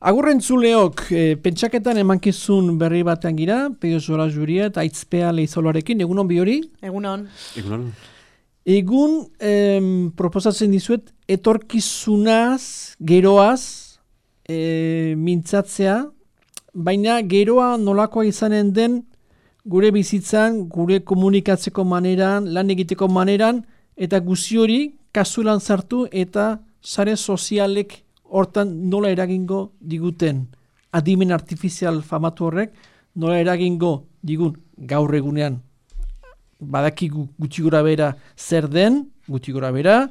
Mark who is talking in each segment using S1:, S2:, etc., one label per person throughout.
S1: Agurrentzuleok, pentsaketan emankizun berri batean gira, Peio Zora Juria eta Aitzpea Leizoloarekin, egunon bi hori?
S2: Egunon.
S1: Egun proposatzen dizuet, etorkizunaz, geroaz, mintzatzea, baina geroa nolakoa izanen den gure bizitzan, gure komunikatzeko maneran, lan egiteko maneran, eta guzi hori kasulan sartu eta sare sozialek hortan nola eragingo diguten. Adimen artifizial famatu horrek nola eragingo digun gaur egunean. Badakigu gutxi gora bera zer den, gutxi gora bera,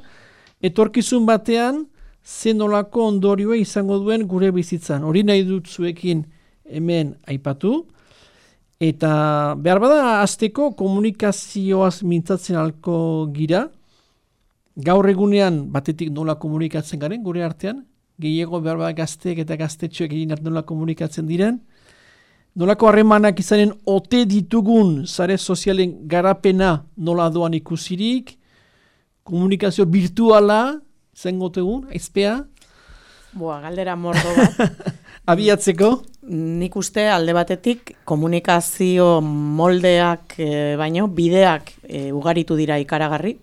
S1: etorkizun batean zen nolako ondorioa izango duen gure bizitzan. Hori nahi dut zuekin hemen aipatu. Eta behar bada hasteko komunikazioaz mintzatzen alko gira. Gaur egunean batetik nola komunikatzen garen gure artean. Gehiago behar bada gazteek eta gaztetxoek egin nola komunikatzen diren. Nolako harremanak izanen ote ditugun sare sozialen garapena nola doan ikusirik. Komunikazio virtuala izango tegun, Aizpea.
S2: Galdera mordo bat.
S1: Abiatzeko?
S2: Nik uste alde batetik komunikazio moldeak baino bideak ugaritu dira ikaragarri.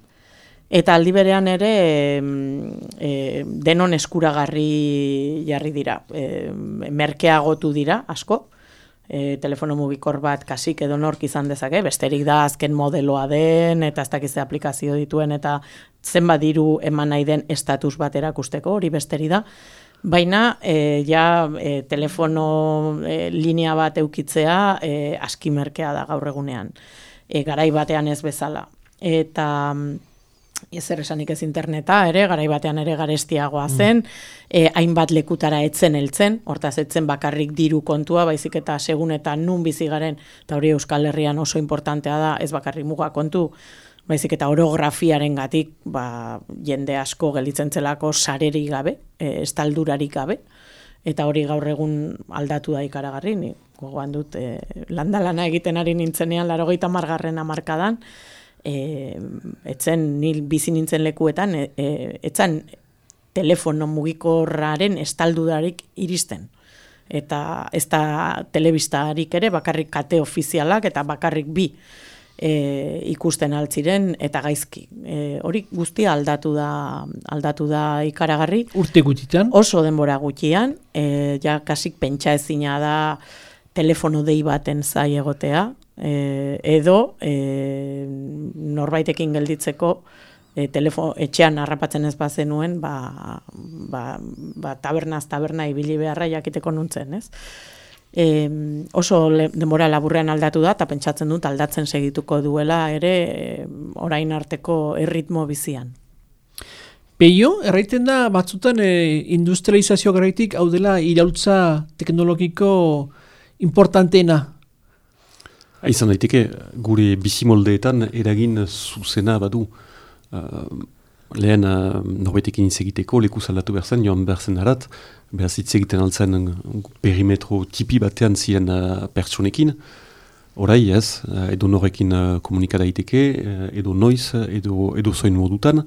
S2: Eta aldi berean ere denon eskuragarri jarri dira. Merkeagotu dira, asko. Telefono mugikor bat kasik edo nork izan dezake, besterik da azken modeloa den, eta ez dakize aplikazio dituen, eta zenbat diru eman nahi den estatus bat erakusteko, hori besteri da. Baina, telefono linea bat eukitzea aski merkea da gaur egunean. Garai batean ez bezala. Eta ezer esanik ez interneta, garai batean ere garestiagoa zen, hainbat lekutara etzen heltzen, hortaz etzen bakarrik diru kontua, baizik eta segun eta nun bizi garen, eta hori Euskal Herrian oso importantea da, ez bakarrik muga kontu, baizik eta orografiaren gatik, jende asko gelditzen zelako sarerik gabe, estaldurarik gabe, eta hori gaur egun aldatu da ikaragarri, ni gogoan dut, lana egiten ari nintzenean, 80. hamarkadan, etzen nil bizi nintzen lekuetan, etzan telefono mugikorraren estaldudarik iristen. Eta ez da telebistarik ere, bakarrik kate ofizialak eta bakarrik bi ikusten altziren eta gaizki. Hori guztia aldatu da ikaragarri.
S1: Urte gutxitan?
S2: Oso denbora gutxian, kasik pentsa ezina da telefono dei baten zai egotea, edo norbaitekin gelditzeko etxean harrapatzen ez bazenuen tabernaz taberna ibili beharra jakiteko nuntzen, ez? Oso denbora laburrean aldatu da eta pentsatzen dut aldatzen segituko duela ere orain arteko erritmo bizian.
S1: Peio, erraiten da batzutan industrializazio garaitik hau dela iraultza teknologiko importanteena.
S3: Izan daiteke, gure bizimoldeetan eragin zuzena badu. Lehen norbetekin hitz egiteko, leku aldatu behar zen, joan behar zen harat, behar hitz egiten altzen perimetro tipi batean ziren pertsonekin. Orai ez, edo norrekin komunika daiteke, edo noiz, edo zoin modutan,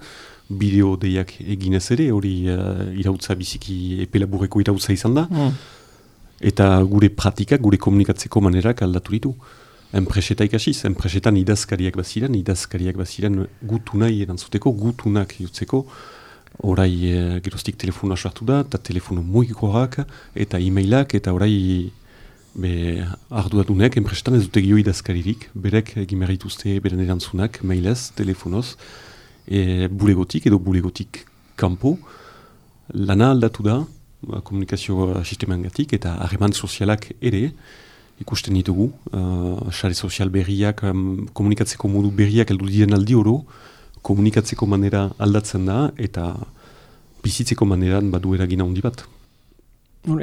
S3: bideo deiak eginez ere, hori irautza biziki epelaburreko irautza izan da. Eta gure praktikak, gure komunikatzeko manerak aldatu ditu. Enpreseta ikasiz, enpresetan idazkariak baziren gutu nahi erantzuteko, gutunak jutzeko, orai geroztik telefonoa sartu da, eta telefono mugikorak, eta e-mailak, eta orai arduradunek, enpresetan ez dute gio idazkaririk, berek egimerituzte beren erantzunak, mailez, telefonoz, bulegotik edo bulegotik kanpo, lana aldatu da, komunikazio sistemangatik, eta harreman sozialak ere, ikusten ditugu, sare sozial berriak, komunikatzeko modu berriak heldu diren aldi oro, komunikatzeko manera aldatzen da, eta bizitzeko maneran badu eragina handi bat.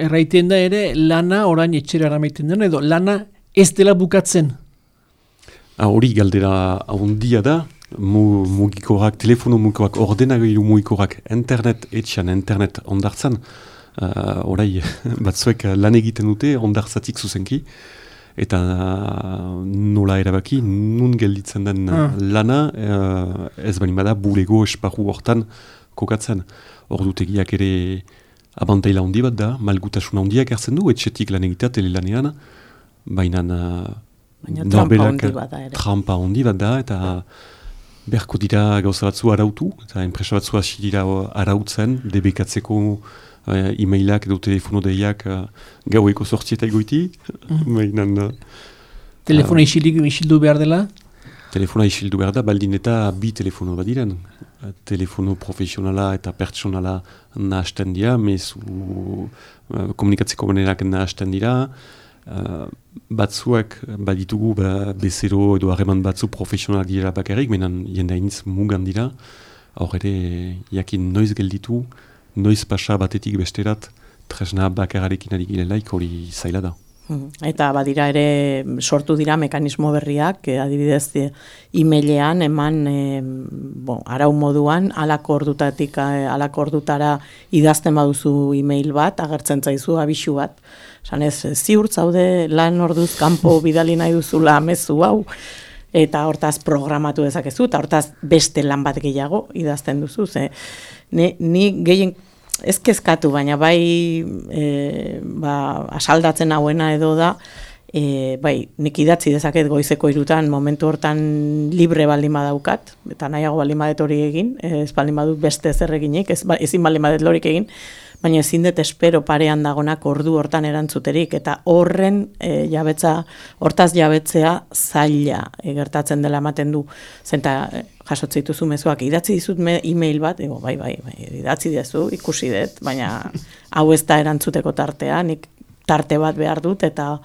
S1: Erraiten da ere, lana orain etxera eramaiten den, edo lana ez dela bukatzen?
S3: Hori galdera handia da, mugikorak, telefono mugikorak, ordenagailu mugikorak, etxean internet ondartzan, orai batzuek lan egiten dute ondartzatik zuzenki, eta nola erabaki, nun gelditzen den lana, ez bada bulego esparru hortan kokatzen. Ordutegiak ere abantaila handi bat da, malgutasuna handiak hartzen du, etxetik lan egitea telelanean, baina trampa handi bat da, eta beharko dira gauza batzu arautu, eta enpresa batzu hasi dira arautzen, debekatzeko e-mailak edo telefono deiak gaueko 8 goiti, baina...
S1: Telefona isildu behar dela?
S3: Telefona isildu behar da, baldin eta bi telefono badiren. Telefono profesionala eta pertsonala nahasten dira, komunikatzeko manerak nahasten dira, batzuak baditugu bezero edo harreman batzu profesionalak dira bakarrik, menan jendainitz mugan dira, hor ere jakin noiz gelditu, noiz pasa batetik besterat, tresna bakararekin ari girelaik hori zaila da.
S2: Eta badira ere sortu dira mekanismo berriak, adibidez e-mailean eman arau moduan halako ordutara idazten baduzu e-mail bat, agertzen zaizu abisu bat. Esan ez, ziur zaude lan orduz kanpo bidali nahi duzula mezu hau, eta hortaz programatu dezakezu, eta hortaz beste lan bat gehiago idazten duzu. Ni gehien ez kezkatu, baina bai asaldatzen hauena edo da, nik idatzi dezaket goizeko 3 momentu hortan libre baldin badaukat, eta nahiago baldin badet hori egin, ez baldin badut beste zer eginik, ezin baldin badet lorik egin, baina ezin dut espero parean dagonak ordu hortan erantzuterik, eta hortaz jabetzea zaila gertatzen dela ematen du, zenta jasotze dituzu mezuak, idatzi dizut e-mail bat, bai, idatzi dizu, ikusi dut, baina hau ez da erantzuteko tartea, nik tarte bat behar dut, eta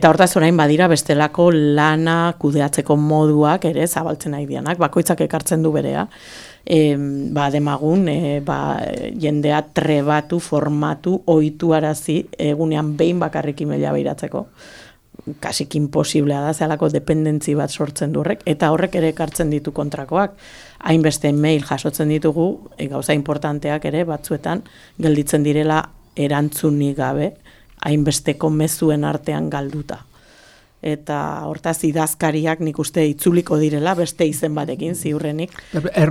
S2: hortaz orain badira bestelako lana kudeatzeko moduak ere zabaltzen nahi dianak, bakoitzak ekartzen du berea, demagun, jendea trebatu, formatu, ohituarazi egunean behin bakarrik e-maila behiratzeko. Kasik imposiblea da, zelako dependentzi bat sortzen du horrek, eta horrek ere ekartzen ditu kontrakoak. Hainbeste mail jasotzen ditugu, gauza importanteak ere batzuetan gelditzen direla erantzunik gabe, hainbesteko mezuen artean galduta. Eta hortaz idazkariak nik uste itzuliko direla beste izen batekin ziurrenik.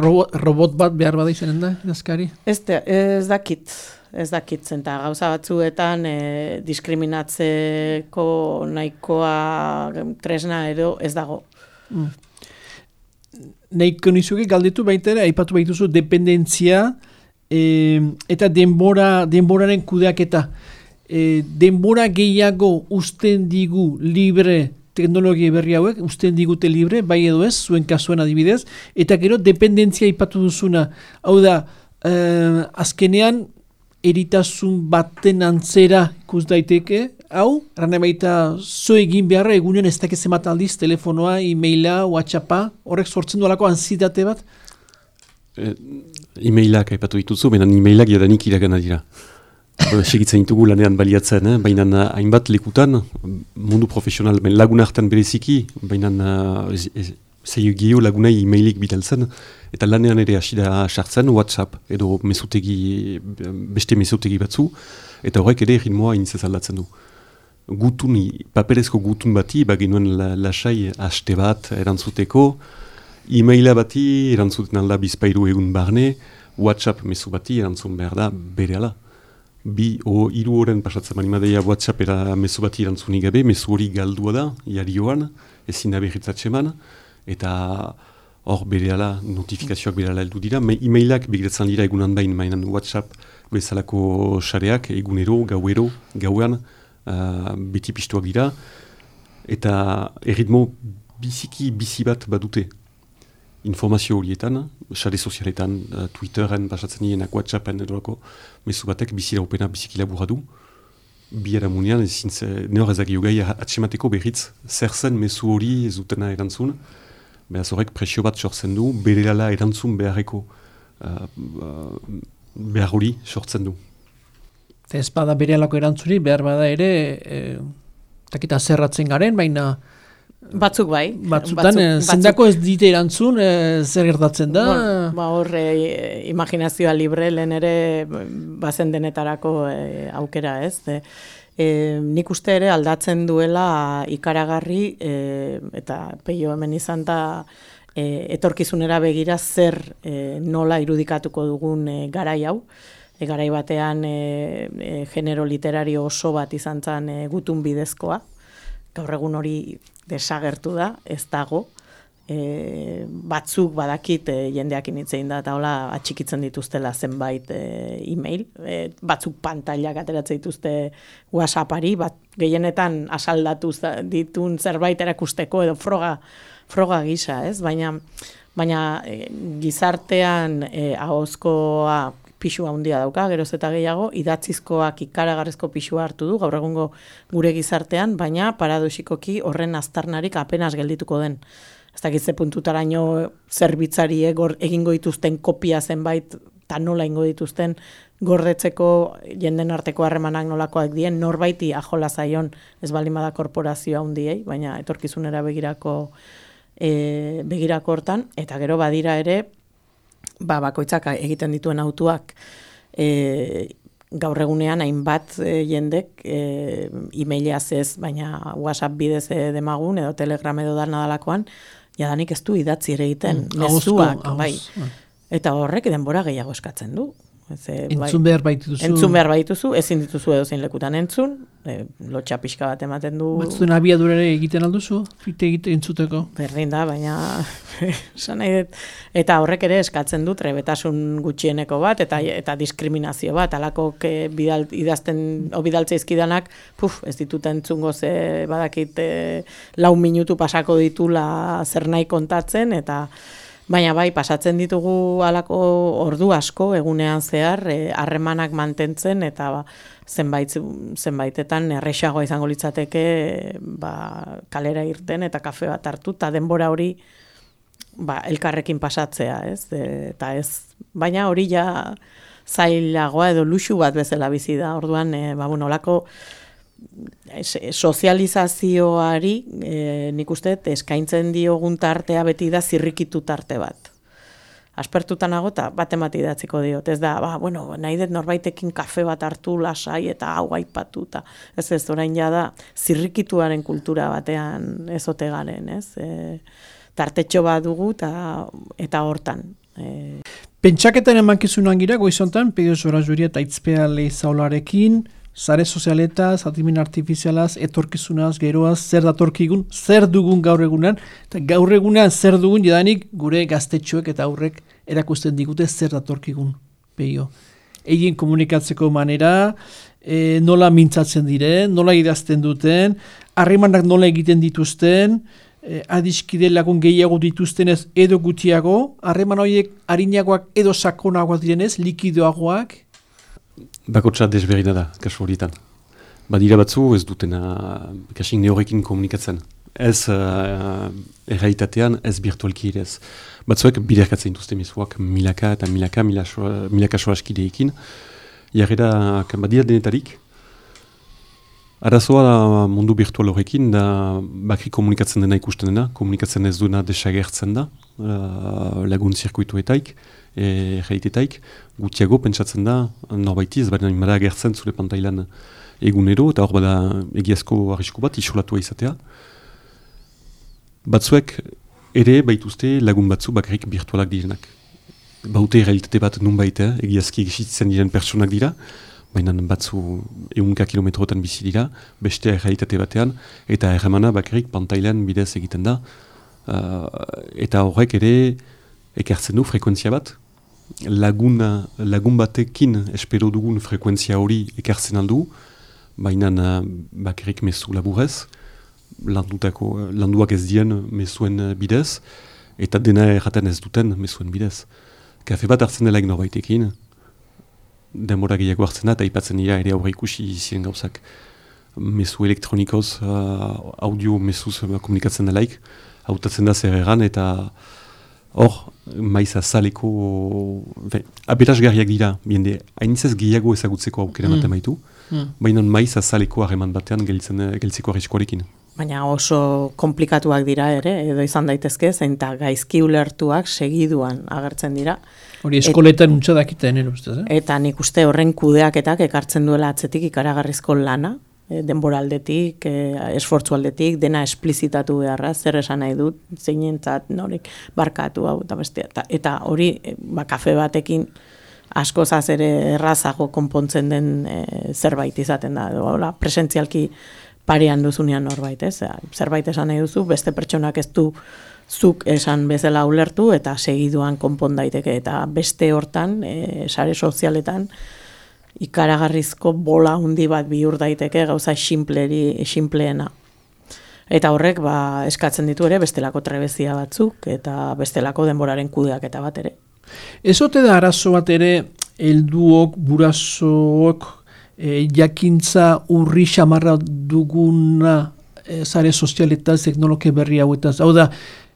S1: Robot bat behar bada izanen da idazkari?
S2: Ez dakit zenta gauza batzuetan diskriminatzeko nahikoa tresna edo ez dago.
S1: Nahiko nizuke galdetu baita ere, aipatu baituzu dependentzia eta denboraren kudeaketa. Denbora gehiago usten digu libre teknologia berri hauek, usten digute libre, bai edo ez, zuen kasuen adibidez, eta gero dependentzia aipatu duzuna. Hau da, azkenean, eritasun baten antzera ikus daiteke, hau, arrane baita zo egin beharra egunean ez dakiz emat aldiz, telefonoa, e-maila, WhatsAppa, horrek sortzen duelako ansiedade bat?
S3: E-mailak aipatu dituzu, benan e-mailak jadanik iragana dira. Segitzen ditugu lanean baliatzen, baina hainbat lekutan, mundu profesional, lagun hartan bereziki, baina zeio lagunai e-mailik bidaltzen, eta lanean ere hasi da sartzen WhatsApp edo beste mesutegi batzu, eta horrek ere ritmoa initzez aldatzen du. Paperezko gutun bati, baginuen lasai haste bat erantzuteko, e-maila bati erantzuten alda bizpairu egun barne, WhatsApp mesu bati erantzun behar da berehala. 3 horren pasatzen manimadeia WhatsAppera mesu bati erantzunik gabe, mesu hori galdua da, jarioan, ezin da berritzatxeman, eta hor berehala, notifikazioak berehala heldu dira, e-mailak begiratzen dira egunan bain, mainan WhatsApp bezalako sareak, egunero, gauean, beti piztuak dira, eta erritmo bizi bat badute. Informazio horietan, sare sozialetan, Twitteren pasatzen dienak, WhatsAppen edolako, mesu batek bizi laupena biziki laburra du. Biara munean, nehor ezagio gai atsemateko berriz, zer zen mesu hori ez dutena erantzun, behaz horrek presio bat sortzen du, berelala erantzun beharreko behar hori sortzen du.
S1: Eta ez bada berelako erantzuri, behar bada ere, takita zerratzen garen, baina
S2: batzuk bai.
S1: Batzutan, zendako ez dite erantzun, zer gertatzen da?
S2: Horre, imaginazioa libre, lehen ere bazen denetarako aukera ez. Nik uste ere aldatzen duela ikaragarri, eta peio hemen izan da, etorkizunera begira zer nola irudikatuko dugun garai hau. garai batean genero literario oso bat izan zen gutun bidezkoa, gaur egun hori desagertu da, ez dago, batzuk badakit jendeak initzein da eta hola atxikitzen dituztela zenbait e-mail, batzuk pantailak ateratzen dituzte WhatsAppari, gehienetan asaldatu ditun zerbait erakusteko edo froga gisa, ez? Baina gizartean ahozkoa pixua handia dauka, geroz eta gehiago, idatzizkoak ikaragarrizko pixua hartu du, gaur egungo gure gizartean, baina paradoxikoki horren aztarnarik apenas geldituko den. Ez dakitze puntutaraino zerbitzari egingo dituzten kopia zenbait, eta nola ingo dituzten gordetzeko jenden arteko harremanak nolakoak dien, norbaiti ajola zaion ez baldin bada korporazioa handiei, baina etorkizunera begirako hortan, eta gero badira ere, bakoitzak egiten dituen autuak gaur egunean hainbat jendek e-mailaz ez, baina WhatsApp bidez demagun edo Telegram edo dalakoan, jadanik ez du idatzi ere egiten, mezuak, bai. Eta horrek denbora gehiago eskatzen du.
S1: Entzun behar baituzu.
S2: Entzun behar baituzu, ezin dituzu edozein lekutan entzun, lotxa pixka bat ematen du.
S1: Batzuen abiadurere egiten alduzu, egiten entzuteko? Berdin
S2: da, baina eta horrek ere eskatzen du trebetasun gutxieneko bat, eta diskriminazio bat, alakok bidaltze izkidanak, ez ditut entzungo ze badakit 4 minutu pasako ditula zer nahi kontatzen, eta baina bai, pasatzen ditugu halako ordu asko egunean zehar, harremanak mantentzen eta zenbaitetan erresagoa izango litzateke kalera irten eta kafe bat hartu, eta denbora hori elkarrekin pasatzea, ez? Eta ez, baina hori ja zailagoa edo luxu bat bezala bizi da, orduan, olako sozializazioari nik uste eskaintzen diogun tartea beti da zirrikitu tarte bat. Aspertutan nago eta bat emati idatziko diot. Ez da, nahi dut norbaitekin kafe bat hartu lasai eta hau aipatu. Ez orain da zirrikituaren kultura batean ezote garen, ez? Tartetxo bat dugu eta hortan.
S1: Pentsaketan emankizunan gira, goizontan, Pedro Sorajuria eta Itzpea Leizaolarekin, sare sozialetaz, adimen artifizialaz, etorkizunaz, geroaz, zer datorkigun, zer dugun gaur egunan, eta gaur egunan zer dugun jadanik gure gaztetxoek eta aurrek erakusten digute zer datorkigun, peio. Egin komunikatzeko manera, nola mintzatzen diren, nola idazten duten, harremanak nola egiten dituzten, adiskide lagun gehiago dituztenez edo gutiago, harreman horiek harinagoak edo sakonagoak direnez, likidoagoak,
S3: Bakotsa desberdina da, kasu horietan. Badira batzu ez dutena kasik neorekin komunikatzen. Ez errealitatean, ez virtualki ere ez. Batzuek biderkatzen dituzte mezuak milaka soraskideekin. Jarrera badira denetarik. Arazoa mundu virtual horrekin da bakri komunikatzen dena ikusten dena, komunikatzen ez duena desagertzen da, lagun zirkuituetaik, realitetaik, gutiago pentsatzen da, norbaitiz, baina imara agertzen zure pantailan egunero, eta hor bada egiazko arrisku bat, isolatua izatea. Batzuek ere baituzte lagun batzu bakarrik virtualak direnak. Baute realitate bat nunbait, egiazki egizitzen diren pertsonak dira, baina batzu 100 kilometrotan bizi dira, beste realitate batean, eta erremana bakarrik pantailan bidez egiten da, eta horrek ere ekartzen du frekuentzia bat, lagun batekin espero dugun frekuentzia hori ekartzen aldu, baina bakarrik mezu laburez, landuak ez dien mezuen bidez, eta dena erraten ez duten mezuen bidez. Kafe bat hartzen delaik norbaitekin, denbora gehiago hartzen da, eta ipatzen dira ere aurre ikusi ziren gauzak. Mezu elektronikoz, audio mezuz komunikatzen delaik, hautatzen da zer egan, eta hor, maiz azaleko, aberasgarriak dira, biende, hainitzez gehiago ezagutzeko aukera ematen baitu, baina maiz azaleko harreman batean geltzeko arriskoarekin.
S2: Baina oso komplikatuak dira ere, edo izan daitezke, zein eta gaizki ulertuak segiduan agertzen dira.
S1: Hori eskoletan untsa dakiten, ustez,
S2: Eta nik uste horren kudeaketak ekartzen duela atzetik ikaragarrizko lana, denbora aldetik, esfortzu aldetik, dena esplizitatu beharra, zer esan nahi dut, zeinentzat norik barkatu hau eta bestea. Eta hori, kafe batekin askozaz ere errazago konpontzen den zerbait izaten da, edo presentzialki parean duzunean norbait, ez? Zerbait esan nahi duzu, beste pertsonak ez du zuk esan bezala ulertu eta segiduan konpon daiteke, eta beste hortan, sare sozialetan, ikaragarrizko bola handi bat bihur daiteke gauza xinpleena. Eta horrek eskatzen ditu ere bestelako trebezia batzuk eta bestelako denboraren kudeaketa bat ere.
S1: Ezote da arazo bat ere, helduok, burasook, jakintza urri xamarra duguna sare sozialetaz, teknologia berri hauetaz. Hau da,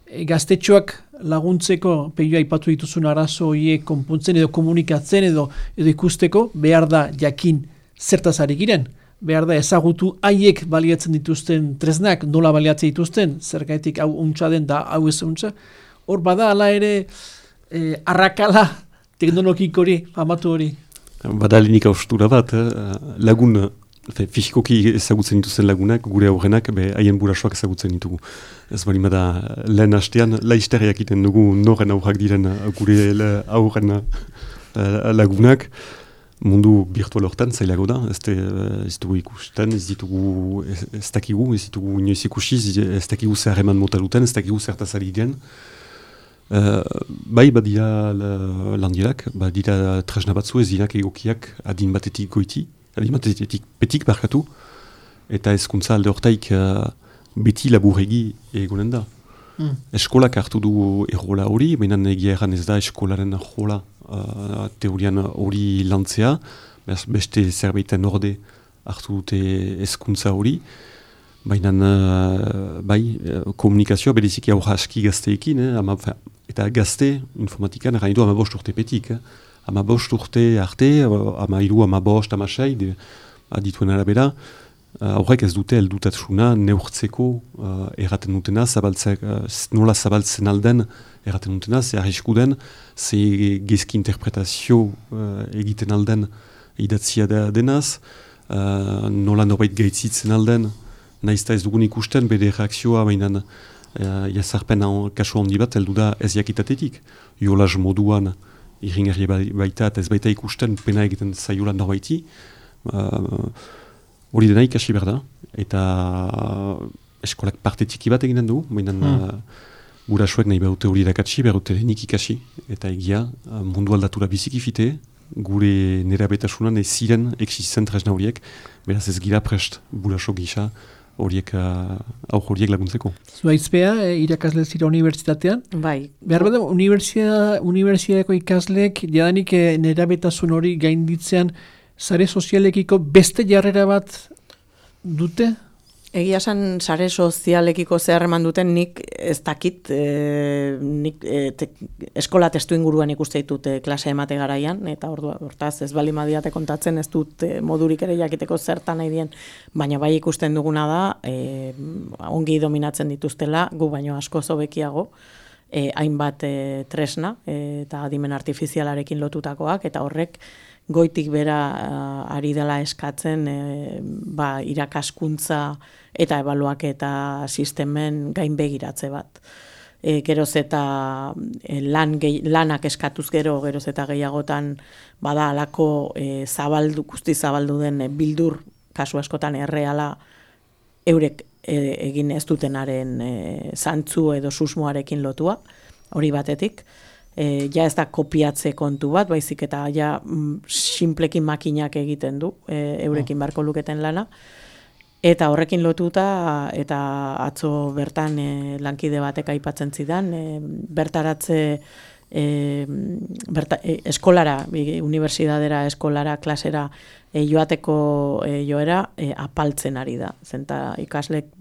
S1: gaztetxoak laguntzeko, peioa aipatu dituzun arazo horiek konpontzen edo komunikatzen edo ikusteko, behar da jakin zertaz ari giren. Behar da ezagutu haiek baliatzen dituzten tresnak, nola baliatzen dituzten, zergaitik hau untsa den da hau ez untsa. Hor bada ala ere arrakala teknologik hori, famatu hori.
S3: Badalenik austura bat, lagun fisikoki ezagutzen dituzten lagunak, gure aurrenak, haien burasoak ezagutzen ditugu. Ez bali bada lehen hastean, laizteriak iten dugu noren aurrak diren gure aurren lagunak. Mundu virtual hortan zailago da, ez dugu ikusten, ez dakigu, ez ditugu inoiz ikusiz, ez dakigu zer eman mota duten, ez dakigu zertaz ari diren. Bai, badira landielak, badira tresna batzu ez dinak egokiak adin batetik goiti, adin batetik petik barkatu, eta ezkuntza alde hortaik beti laburegi egonen da. Eskolak hartu du errola hori, baina egia erran ez da eskolaren errola teorian hori lantzea, beste zerbaiten orde hartu dute ezkuntza hori, baina bai, komunikazioa bereziki aurra aski gazteekin, eta gazte informatikan erran du 15 urte petik. 15 urte arte, 13, 15, 16, adituen arabera, aurrek ez dute heldutatsuna neurtzeko erraten dutena, nola zabaltzen alden erraten dutena, ze arrisku den, ze gezki interpretazio egiten alden idatzia denaz, nola norbait gaitzitzen alden, naizta ez dugun ikusten, bere reakzioa bainan jazarpen kasu handi bat, heldu da ez jakitatetik. Jolaz moduan irringarri baita eta ez baita ikusten pena egiten zaiola norbaiti, hori dena ikasi behar da, eta eskolak parte txiki bat eginen du, baina gurasoek nahi behute hori irakatsi, behute denik ikasi, eta egia mundu aldatura biziki fite, gure nerabetasunan ez ziren existitzen tresna horiek, beraz ez gira prest guraso gisa horiek laguntzeko.
S1: Zuaizpea, irakasle zira unibertsitatean?
S2: Bai.
S1: Behar bada, unibertsitateko ikasleek jadanik nerabetasun hori gainditzean sare sozialekiko beste jarrera bat dute?
S2: Egia esan sare sozialekiko zer eman duten nik ez dakit, eskola testu inguruan ikuste ditut klase emate garaian, eta hortaz ez bali madiate kontatzen, ez dut modurik ere jakiteko zertan nahi dien, baina bai ikusten duguna da, ongi dominatzen dituztela, gu baino asko zobekiago, hainbat tresna eta adimen artifizialarekin lotutakoak, eta horrek goitik bera ari dela eskatzen irakaskuntza eta ebaluaketa sistemen gainbegiratze bat. Geroz eta lanak eskatuz geroz eta gehiagotan bada alako guzti zabaldu den bildur, kasu askotan erreala eurek egin ez dutenaren zantzu edo susmoarekin lotua, hori batetik. Ja ez da kopiatze kontu bat, baizik eta ja sinplekin makinak egiten du, eurekin barko luketen lana. Eta horrekin lotuta, eta atzo bertan lankide batek aipatzen zidan, bertaratze eskolara, unibertsitatera eskolara, klasera joateko joera apaltzen ari da. Zenta ikaslek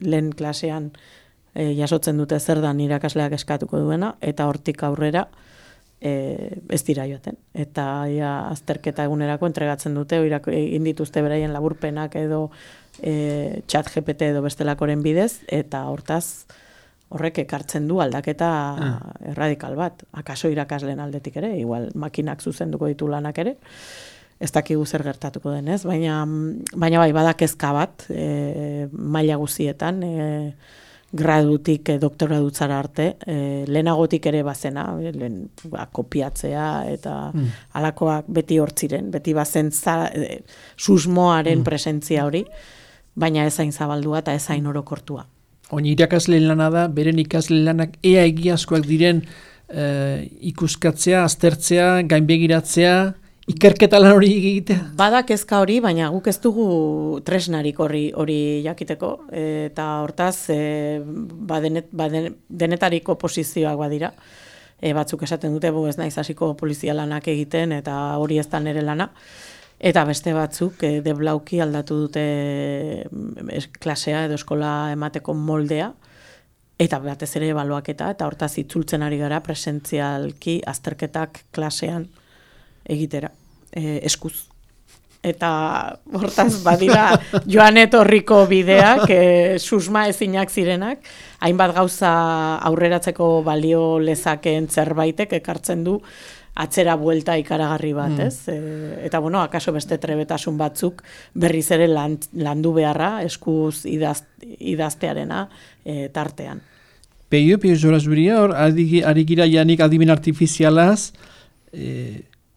S2: lehen klasean jasotzen dute zer dan irakasleak eskatuko duena, eta hortik aurrera ez dira joaten. Eta azterketa egunerako entregatzen dute, egin dituzte beraien laburpenak edo chat GPT edo bestelakoren bidez, eta hortaz horrek ekartzen du aldaketa erradikal bat. Akaso irakasleen aldetik ere, igual makinak zuzenduko ditu lanak ere, ez dakigu zer gertatuko denez, baina bai, bada kezka bat, maila guzietan, gradutik doktoradutzara arte, lehenagotik ere bazena, kopiatzea eta alakoak beti hortziren, beti bazen susmoaren presentzia hori, baina ezain zabaldua eta ezain orokortua.
S1: Oin irakasleen lana da, beren ikasleen lanak ea egiazkoak diren ikuskatzea, aztertzea, gainbegiratzea, ikerketa lan hori egitea?
S2: Bada kezka hori, baina guk ez dugu tresnarik hori jakiteko, eta hortaz denetariko posizioak badira. Batzuk esaten dute, ez naiz hasiko polizia lanak egiten, eta hori ez da nire lana. Eta beste batzuk deblauki aldatu dute klasea edo eskola emateko moldea, eta batez ere ebaluaketa, eta hortaz itzultzen ari gara presentzialki azterketak klasean egitera, eskuz. Eta hortaz badira joan etorriko bideak, susma ezinak zirenak, hainbat gauza aurreratzeko balio lezakeen zerbaitek ekartzen du atzera buelta ikaragarri bat, ez? Eta akaso beste trebetasun batzuk berriz ere landu beharra, eskuz idaztearena tartean.
S1: Peio Zorazuria, hor, ari gira janik adimen artifizialaz,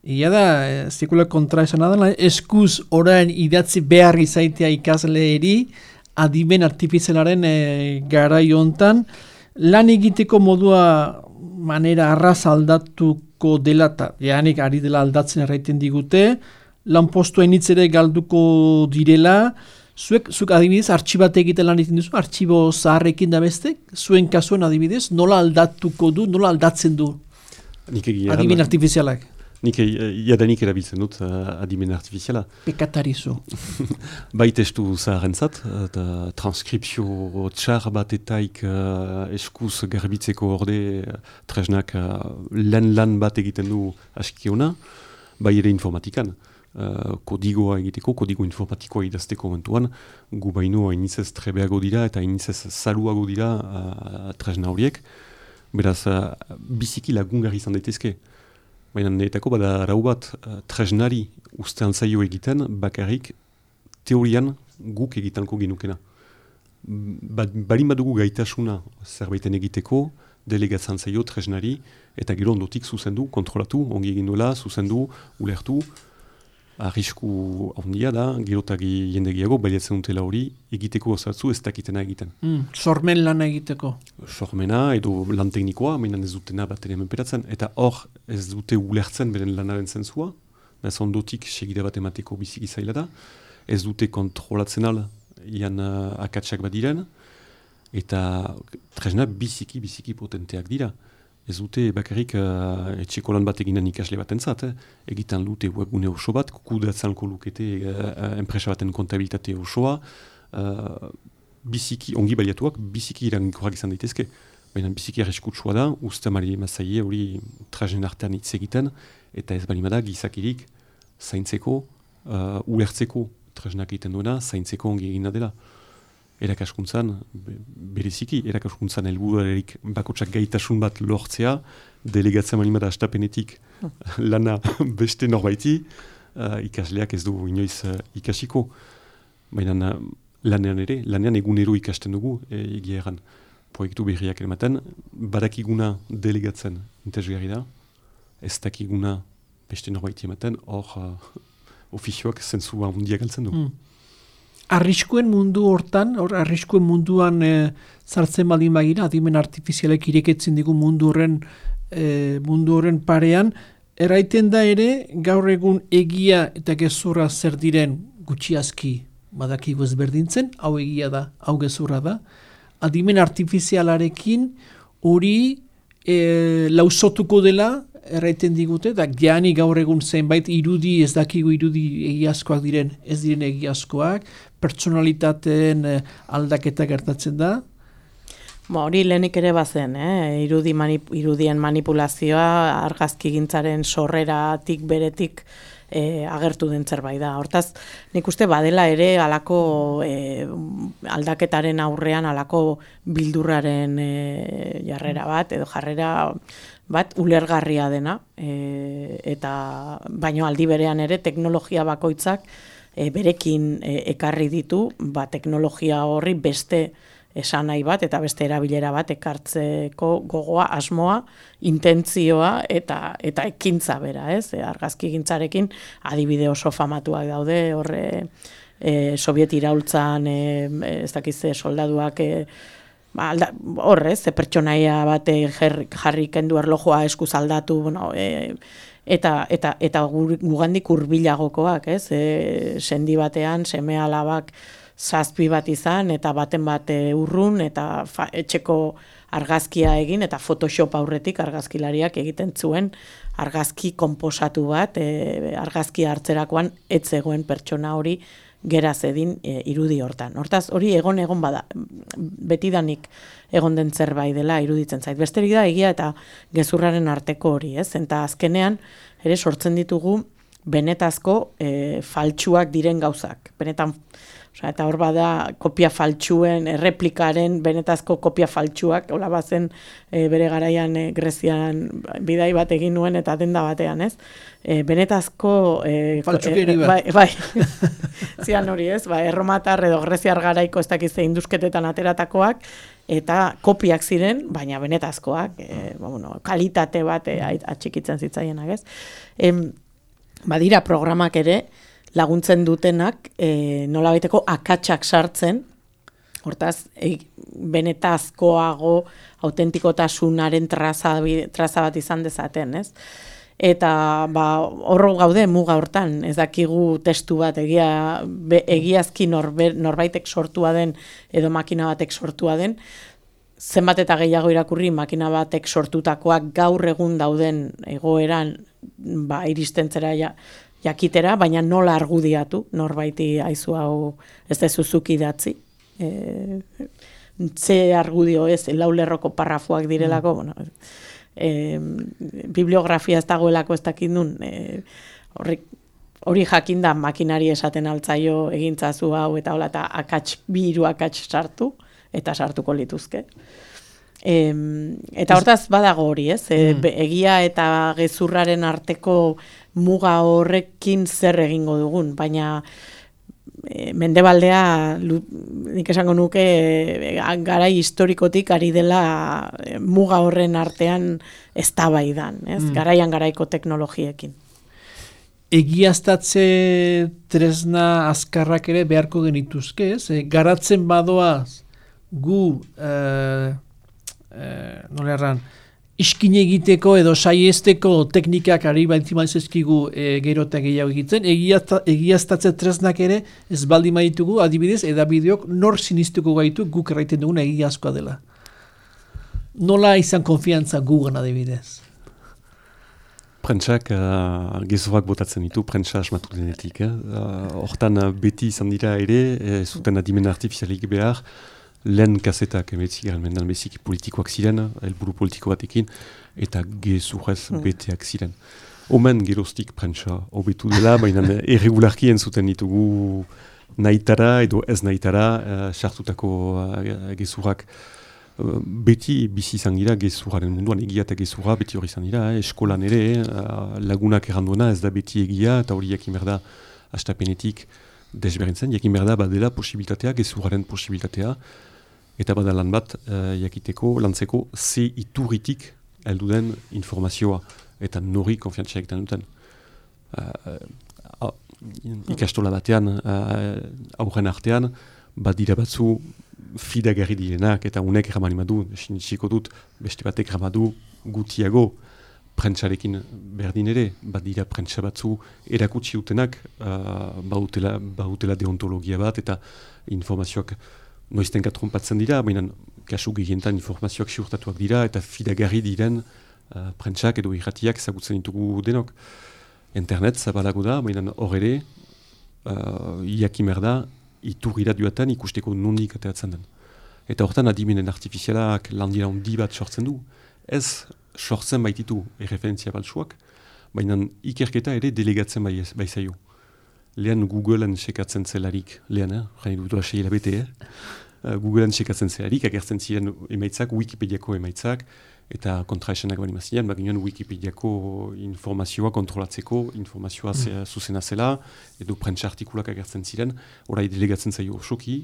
S1: ia da, zikula kontra esan adala, eskuz orain idatzi behar izaitea ikasleeri adimen artifizialaren garai hontan, lan egiteko modua manera arraz aldatuko dela, eta janik ari dela aldatzen erraiten digute, lanpostua initz ere galduko direla, zuk adibidez, artxibat egiten lan egiten duzu, artxibo zaharrekin da beste, zuen kasuen adibidez, nola aldatuko du, nola aldatzen du adimen artifizialak?
S3: Nik erabiltzen dut adimen artifiziala.
S1: Pekatarizu.
S3: Bai testu zaharentzat, eta transkripzio txar batetaik eskuz garbitzeko orde tresnak lan bat egiten du askiona, bai ere informatikan. Kodigoa egiteko, kodigo informatikoa idazteko momentuan, gu baino hainitzez trebeago dira eta hainitzez zaluago dira tresna horiek. Beraz, biziki lagungarri izan daitezke. Baina neetako bada arau bat tresnari ustean zaio egiten, bakarrik teorian guk egitanko ginukena. Balin badugu gaitasuna zerbaiten egiteko, delegatzen zaio tresnari, eta gero ondotik zuzendu, kontrolatu, ongi egin duela, zuzendu, ulertu, arrisku handia da, gerotagi jendegiago, baliatzen dutela hori, egiteko osatzu ez dakitena egiten.
S1: Sormen lana egiteko.
S3: Sormena edo lan teknikoa, mainan ez dutena bat ere menperatzen, eta hor ez dute ulertzen beren lanaren zentzua, ez ondotik segida bat emateko biziki zaila da, ez dute kontrolatzen al, ian akatsak bat diren, eta tresna biziki potenteak dira. Ez dute bakarrik etxeko lan bat eginen ikasle bat entzat, egitan dute webgune oso bat, kudatzanko lukete enpresa baten kontabilitate osoa, biziki, ongi baliatuak, biziki irankorrak izan daitezke. Baina biziki arriskutsua da, uste mari mazaie hori trajen artean hitz egiten, eta ez balimada gizakirik zaintzeko, ulertzeko trajenak egiten duena, zaintzeko ongi egina dela. Erakaskuntzan, bereziki, erakaskuntzan helburuarerik bakotsak gaitasun bat lortzea, delegatzen manimada astapenetik lana beste norbaiti, ikasleak ez du inoiz ikasiko. Baina lanean egunero ikasten dugu, egia erran, proiektu berriak ematen, badakiguna delegatzen interesgarri da, ez dakiguna beste norbaiti ematen, hor ofizioak zentzua handia galtzen du.
S1: Arriskuen mundu hortan, arriskuen munduan sartzen baldin bagira, adimen artifizialek ireketzen digu mundu horren parean, erraiten da ere, gaur egun egia eta gezurra zer diren gutxiazki badakigu ezberdintzen, hau egia da, hau gezurra da, adimen artifizialarekin hori lausotuko dela, erraiten digute, da jani gaur egun zenbait irudi, ez dakigu irudi egiazkoak diren, ez diren egiazkoak, pertsonalitateen aldaketa gertatzen da?
S2: Hori lehenik ere bazen, irudien manipulazioa, argazkigintzaren sorreratik beretik agertu den zerbait da. Hortaz, nik uste badela ere alako aldaketaren aurrean alako bildurraren jarrera bat, edo jarrera bat ulergarria dena, eta baino aldi berean ere teknologia bakoitzak berekin ekarri ditu, teknologia horri beste esan nahi bat eta beste erabilera bat ekartzeko gogoa, asmoa, intentzioa eta ekintza bera, ez? Argazki gintzarekin adibide oso famatuak daude, horre Soviet iraultzan, ez dakize soldaduak horrez, pertsonaia bat jarri kendu erlojoa eskuz aldatu, bueno, eta gugandik hurbilagokoak, ez? Sendi batean, seme alabak zazpi bat izan, eta baten bat urrun, eta etxeko argazkia egin, eta Photoshop aurretik argazkilariak egiten zuen argazki konposatu bat, argazkia hartzerakoan ez zegoen pertsona hori gera zedin irudi hortan. Hortaz, hori egon bada, betidanik egon den zerbait dela iruditzen zait. Besterik da, egia eta gezurraren arteko hori, ez? Eta azkenean, ere sortzen ditugu benetazko faltsuak diren gauzak. Benetan, eta hor bada kopia faltsuen, erreplikaren benetazko kopia faltsuak, hola bazen bere garaian Grezian bidai bat egin nuen eta denda batean, ez? Benetazko
S1: faltsukeri bat.
S2: Bai, zian hori, ez? Erromatar edo Greziar garaiko ez dakize indusketetan ateratakoak, eta kopiak ziren, baina benetazkoak, kalitate bat atxikitzen zitzaienak, ez? Badira programak ere, laguntzen dutenak nolabaiteko akatsak sartzen, hortaz, benetazkoago autentikotasunaren traza bat izan dezaten, ez? Eta horro gaude muga hortan, ez dakigu testu bat egiazki norbaitek sortua den edo makina batek sortua den, zenbat eta gehiago irakurri makina batek sortutakoak gaur egun dauden egoeran iristentzera jakitera, baina nola argudiatu, norbaiti aizu hau ez dezuzuk idatzi. Ze argudio ez, laulerroko parrafuak direlako, bueno, bibliografia ez dagoelako ez dakindun, hori jakinda makinari esaten altzaio egintzazu hau, eta hola, eta hiru akats sartu, eta sartuko lituzke. Eta hortaz badago hori, ez? Egia eta gezurraren arteko muga horrekin zer egingo dugun, baina mendebaldea nik esango nuke garai historikotik ari dela muga horren artean eztabaidan, ez? Garaian garaiko teknologiekin.
S1: Egiaztatze tresna azkarrak ere beharko genituzke, ez? Garatzen badoaz gu nola erran, iskine egiteko edo saiesteko teknikak ari baitzimaizezkigu gero eta gehiago egiten, egiaztatze tresnak ere ez baldin baditugu, adibidez, edabideok nor sinistuko gaitu guk erraiten duguna egiazkoa dela. Nola izan konfiantza gugan adibidez?
S3: Prentsak gezuak botatzen ditu, prentsa asmatu denetik. Hortan beti izan dira ere, zuten adimen artifizialik behar, lehen kasetak emetzigarren mendan beziki politikoak ziren, helburu politiko batekin, eta gezurrez beteak ziren. Omen geroztik prentsa hobetu dela, baina irregularki entzuten ditugu nahitara edo ez nahitara sartutako gezurrak. Beti bizi izan dira gezurraren munduan, egia eta gezurra beti hori izan dira, eskolan ere, lagunak erranduena ez da beti egia, eta hori jakin berda hastapenetik desberdintzen, jakin berda badela posibilitatea, gezurraren posibilitatea, eta bada lan bat lantzeko ze iturritik heldu den informazioa, eta nori konfiantzia egiten duten. Ikastola batean, aurren artean, badira batzu fidagarri direnak, eta unek erramanimadu, sinitsiko dut, beste batek erramadu gutiago prentsarekin berdin ere, badira prentsa batzu erakutsi dutenak, bautela deontologia bat, eta informazioak noiztenka trompatzen dira, baina kasu gehientan informazioak siurtatuak dira, eta fidagarri diren prentsak edo irratiak ezagutzen ditugu denok. Internet zabalago da, baina hor ere, jakimer da, iturri duetan ikusteko nondik ateratzen den. Eta hortan adimenen artifizialak landira handi bat sortzen du. Ez sortzen baititu erreferentzia baltsuak, baina ikerketa ere delegatzen baizaio. Lehen Googleen sekatzen zelarik, jani dut doa Googleen sekatzen zelarik, agertzen ziren emaitzak, Wikipediako emaitzak, eta kontraesanak bali mazien, baginean Wikipediako informazioa kontrolatzeko, informazioa zuzena zela, edo prentsa artikulak agertzen ziren, orai delegatzen zaio osoki,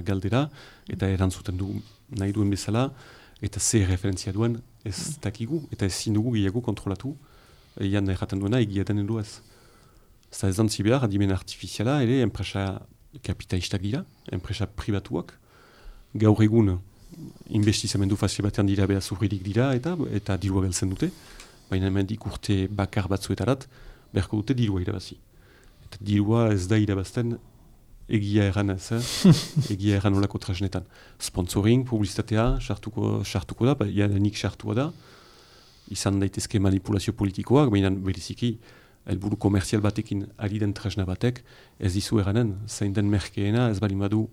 S3: galdera, eta erantzuten du nahi duen bezala, eta ze referentzia duen ez dakigu, eta ezin dugu gehiago kontrolatu, egan erraten duena egiaten edo ez. Eta ez dantzi behar, adimen artifiziala, ere, enpresa kapitalistak dira, enpresa pribatuak, gaur egun, investizamendu fazio batean dira behar zurririk dira eta dirua galtzen dute, baina hemendik urte bakar batzuetarat beharko dute dirua irabazi. Eta dirua ez da irabazten egia erran ez, egia erran olako tresnetan. Sponsoring, publizitatea, sartuko da, nik sartua da, izan daitezke manipulazio politikoak, baina beriziki helburu komerzial batekin ari den tresna batek ez dizu erranen, zein den merkeena ez balin badu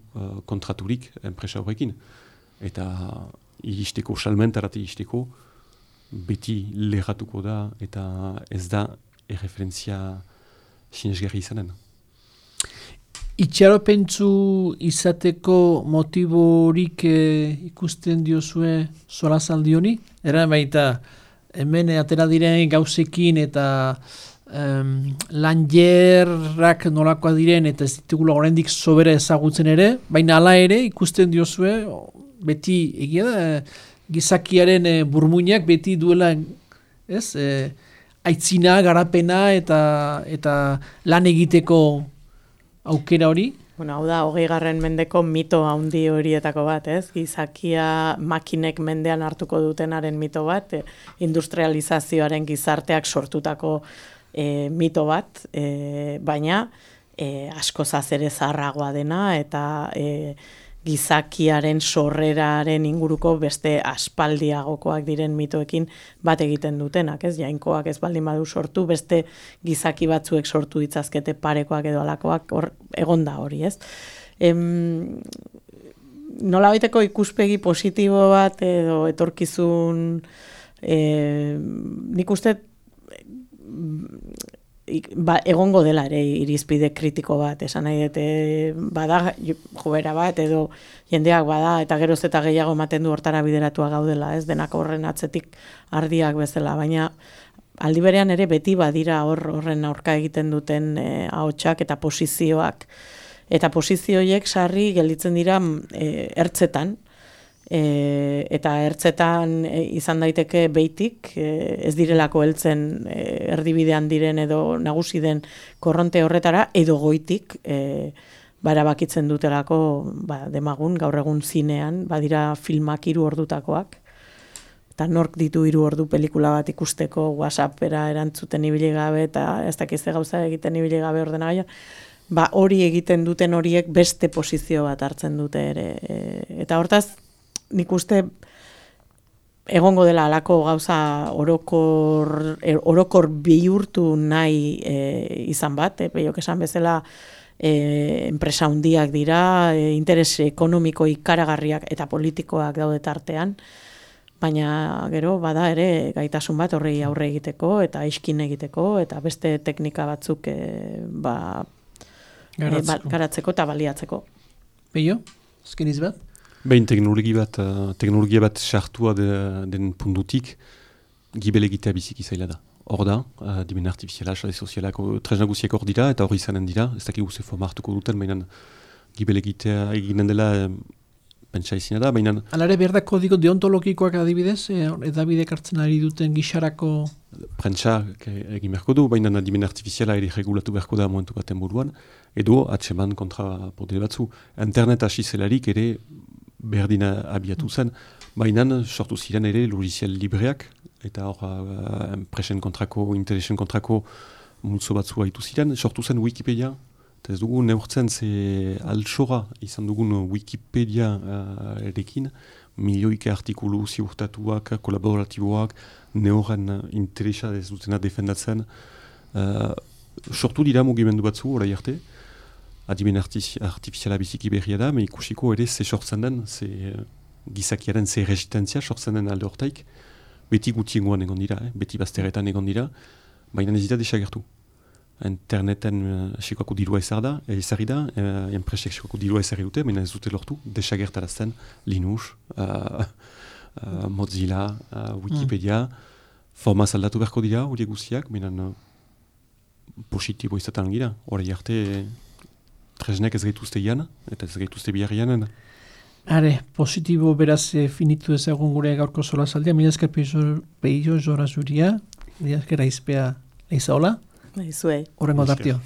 S3: kontraturik enpresa horrekin. Eta iristeko, salmentarat iristeko, beti lerratuko da eta ez da erreferentzia sinesgarri izanen.
S1: Itxaropentsu izateko motiborik ikusten diozue solazaldi honi? Eran baita, hemen atera diren gauzekin eta lanjerrak nolakoa diren eta ez ditugula oraindik sobera ezagutzen ere, baina hala ere ikusten diozue, beti egia da, gizakiaren burmuinak beti duela aitzina, garapena eta lan egiteko aukera hori.
S2: Bueno, hau da, 20. mendeko mito handi horietako bat, ez? Gizakia makinek mendean hartuko dutenaren mito bat, industrializazioaren gizarteak sortutako mito bat, baina askozaz ere zaharragoa dena eta gizakiaren sorreraren inguruko beste aspaldiagokoak diren mitoekin bat egiten dutenak, ez? Jainkoak ez baldin badu sortu, beste gizaki batzuek sortu ditzazkete parekoak edo alakoak, hor egonda hori, ez? Nolabaiteko ikuspegi positibo bat edo etorkizun, nik uste egongo dela ere irizpide kritiko bat, esan nahi dute bada joera bat edo jendeak bada eta geroz eta gehiago ematen du hortara bideratua gaudela, ez denak horren atzetik ardiak bezala, baina aldi berean ere beti badira horren aurka egiten duten ahotsak eta posizioak. Eta posizioiek sarri gelditzen dira ertzetan, eta ertzetan izan daiteke beitik, ez direlako heltzen erdibidean diren edo nagusi den korronte horretara, edo goitik barabakitzen dutelako demagun, gaur egun zinean, badira filmak 3 ordutakoak, eta nork ditu 3 ordu pelikula bat ikusteko WhatsAppera erantzuten ibili gabe, eta ez dakizte gauza egiten ibili gabe ordenagailuan, hori egiten duten horiek beste posizio bat hartzen dute ere, eta hortaz, nik uste egongo dela alako gauza orokor bihurtu nahi izan bat, peiok esan bezala enpresa handiak dira, interes ekonomiko ikaragarriak eta politikoak daude tartean, baina gero bada ere gaitasun bat horrei aurre egiteko eta iskin egiteko eta beste teknika batzuk garatzeko eta baliatzeko.
S1: Peio, azkeniz bat?
S3: Behin teknologia bat sartua den puntutik, gibel egitea biziki zaila da. Hor da, dimen artifiziala, sare sozialak, tresna guziak hor dira, eta hori izanen dira, ez dakik guze forma hartuko duten, baina gibel egitea eginen dela pentsa izina da, baina...
S1: Alare behar da kodigo deontologikoak adibidez, edabidek hartzen ari duten gixarako...
S3: Prentsa egin beharko du, baina dimen artifiziala ere regulatu beharko da momentu baten buruan, edo atseman kontra podere batzu. Internet hasi zelarik ere berdina abiatu zen, baina sortu ziren ere logiciel libreak, eta hor enpresen kontrako, interesen kontrako multzo batzu haitu ziren, sortu zen Wikipedia, eta ez dugu neurtzen ze altxora izan dugun Wikipedia erekin, milioike artikulu ziurtatuak, kolaboratiboak, neoren interesa ez dutena defendatzen, sortu dira mugimendu batzu orai arte, adimen artifiziala biziki berria da, me ikusiko ere ze sortzen den, ze gizakiaren ze resistentzia sortzen den alde hortaik, beti gutiengoan egon dira, beti bazterretan egon dira, baina ez dira desagertu. Interneten sekoako dirua ezarri da, enpresek sekoako dirua ezarri dute, baina ez dute lortu, desagertarazten Linux, Mozilla, Wikipedia, formaz aldatu beharko dira, horiek guztiak, benen positibo izaten gira, hori arte tresnek ez gaituzte ian, eta ez gaituzte bihar ianen.
S1: Are, positibo beraz finitu ezagun gure gaurko solasaldia, mila esker peio jora zuria, mila esker aizpea eizaola,
S2: Zuei.
S1: horrengo tartio.